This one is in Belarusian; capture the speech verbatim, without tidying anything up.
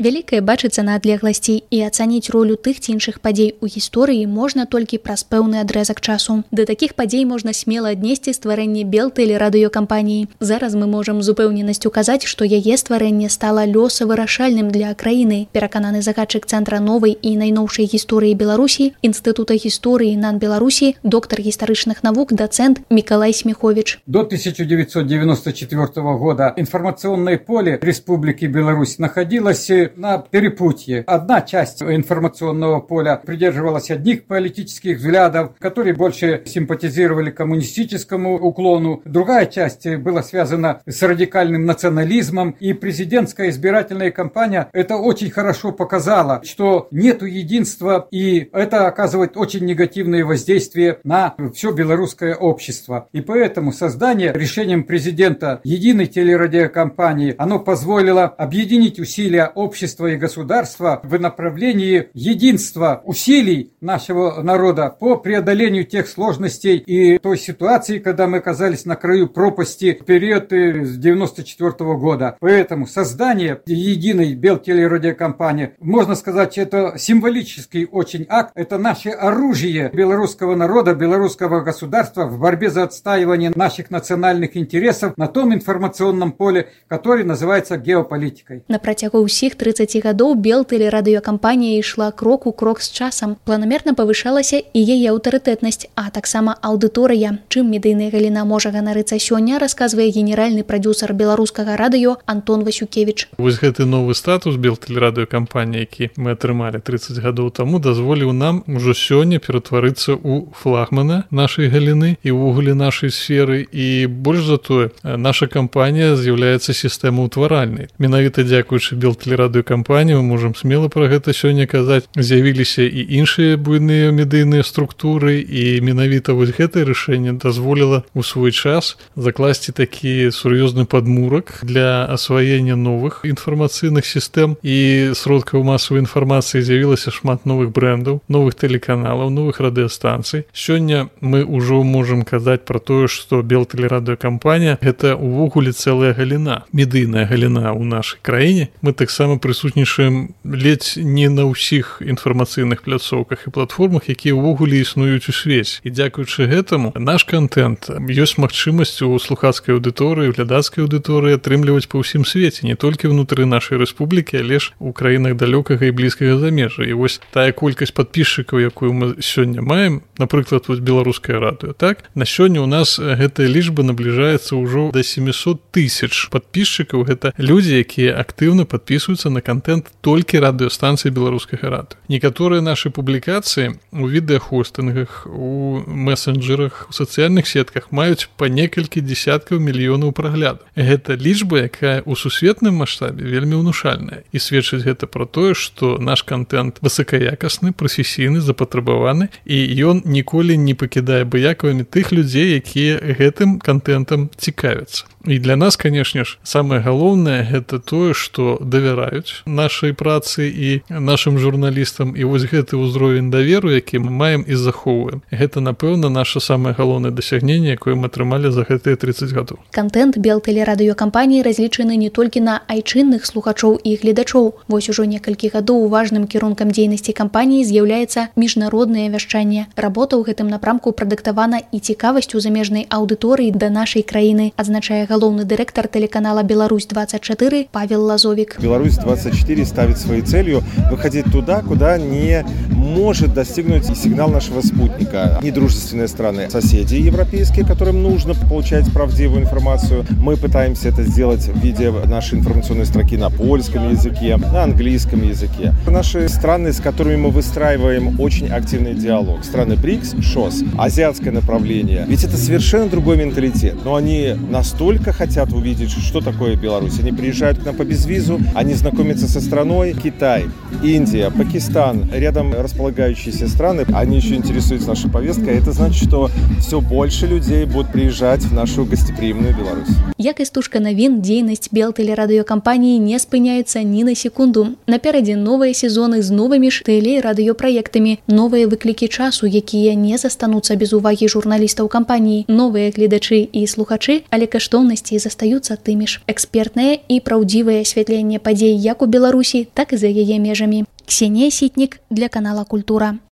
Вялікае бачыцца на адлегласці, і ацаніць ролю тых ці іншых падзей у гісторыі можна толькі праз пэўны адрэзак часу. Да такіх падзей можна смела аднесці стварэнне Белтэлерадыёкампаніі. Зараз мы можам з упэўненасцю казаць, што яе стварэнне стала лёсавырашальным для краіны, перакананы загадчык Цэнтра новай і найноўшай гісторыі Беларусі, Інстытута гісторыі НАН Беларусі, доктар гістарычных навук, дацэнт Миколай Смехович. До тысяча девятьсот девяносто четвёртого года информационное поле Республики Беларусь находилось на перепутье. Одна часть информационного поля придерживалась одних политических взглядов, которые больше симпатизировали коммунистическому уклону. Другая часть была связана с радикальным национализмом. И президентская избирательная кампания это очень хорошо показала, что нету единства, и это оказывает очень негативное воздействие на все белорусское общество. И поэтому создание решением президента единой телерадиокомпании, оно позволило объединить усилия общества и государства в направлении единства усилий нашего народа по преодолению тех сложностей и той ситуации, когда мы оказались на краю пропасти в период девяносто четвёртого года. Поэтому создание единой Белтелерадиокомпании, можно сказать, это символический очень акт, это наше оружие белорусского народа, белорусского государства в борьбе за отстаивание наших национальных интересов на том информационном поле, который называется геополитикой. На працягу ўсіх трыццаці гадоў Белтэлерадыёкампанія ішла крок у крок з часам. Планамерна павышалася і яе аўтарытэтнасць, а таксама аўдыторыя. Чым медыйная галіна можа ганарыцца сёння, расказвае генеральны прадзюсар беларускага радыё Антон Васюкевіч. Вось гэты новы статус Белтэлерадыёкампаніі, які мы атрымалі трыццаць гадоў таму, дазволіў нам ужо сёння ператварыцца ў флагмана нашай галіны і ўвогуле нашай сферы. І больш за тое, наша кампанія з'яўляецца сістэмаўтваральнай. Менавіта дзякуючы Белтэлерадыёкампаніі, мы можам смела пра гэта сёння казаць, з'явіліся і іншыя буйныя медыйныя структуры, і менавіта вось гэтае рашэнне дазволіла ў свой час закласці такі сур'ёзны падмурак для асваення новых інфармацыйных сістэм і сродкаў масавай інфармацыі. З'явілася шмат новых брэндаў, новых тэлеканалаў, новых радыёстанцый. Сёння мы ўжо можам казаць пра тое, што Белтэлерадыёкампанія гэта ўвогуле цэлая галіна, медыйная галіна ў нашай краіне. Мы таксама прысутнічаем ледзь не на ўсіх інфармацыйных пляцоўках і платформах, якія ўвогуле існуюць у свеце. І дзякуючы гэтаму наш контент ёсць магчымасць у слухацкай аўдыторыі, глядацкай аўдыторыі атрымліваць па ўсім свеце, не толькі ўнутры нашай рэспублікі, але ж у краінах далёкага і блізкага замежжа. І вось тая колькасць падпісчыкаў, якую мы сёння маем, напрыклад, вось беларускае радыё, так? На сёння у нас гэтая лічба набліжаецца ўжо да семьсот тысяч падпісчыкаў. Гэта людзі, якія актыўна падпісваюцца на контент толькі радыёстанцыі беларускага радыё. Некаторыя нашы публікацыі у відэахостынгах, у месенджерах, у сацыяльных сетках маюць па некалькі дзесяткаў мільёнаў праглядаў. Гэта лічба, якая ў сусветным маштабе вельмі ўнушальная. І сведчыць гэта пра тое, што наш контент высокаякасны, прафесійны, запатрабаваны, і ён ніколі не пакідае абыякавымі тых людзей, якія гэтым контентам цікавяцца. І для нас, канешне ж, самае галоўнае гэта тое, што давяраюць нашай працы і нашым журналістам, і вось гэты ўзровень даверу, які мы маем і захоўваем. Гэта, напэўна, наша самае галоўнае дасягненне, якое мы атрымалі за гэтыя трыццаць гадоў. Контент Белтэлерадыёкампаніі разлічаны не толькі на айчынных слухачоў і гледачоў. Вось ужо некалькі гадоў важным кірункам дзейнасці кампаніі з'яўляецца міжнароднае вяшчанне. Работа ў гэтым напрамку прадыктавана і цікавасцю замежнай аўдыторыі да нашай краіны, адзначае галоўны дырэктар телеканала «Беларусь двадцать четыре» Павел Лазовик. «Беларусь двадцать четыре» ставит своей целью выходить туда, куда не может достигнуть сигнал нашего спутника. Недружественные страны, соседи европейские, которым нужно получать правдивую информацию. Мы пытаемся это сделать в виде нашей информационной строки на польском языке, на английском языке. Наши страны, с которыми мы выстраиваем очень активный диалог. Страны БРИКС, ШОС, азиатское направление. Ведь это совершенно другой менталитет. Но они настолько хотят увидеть, что такое Беларусь. Они приезжают к нам по безвизу, они знакомятся со страной. Китай, Индия, Пакистан. Рядом расположены располагающиеся страны, они еще интересуются нашей повесткой. Это значит, что все больше людей будут приезжать в нашу гостеприимную Беларусь. Як істужка навін, дзейнасць Белтэлерадыёкампаніі не спыняецца ні на секунду. Наперадзе новыя сезоны з новымі ж тэле- і радыёпраектамі, новыя выклікі часу, якія не застануцца без увагі журналістаў кампаніі, новыя гледачы і слухачы, але каштоўнасці застаюцца тымі ж. Экспертнае і праўдзівае асвятленне падзей як у Беларусі, так і за яе межамі. Ксенія Сітнік для канала Культура.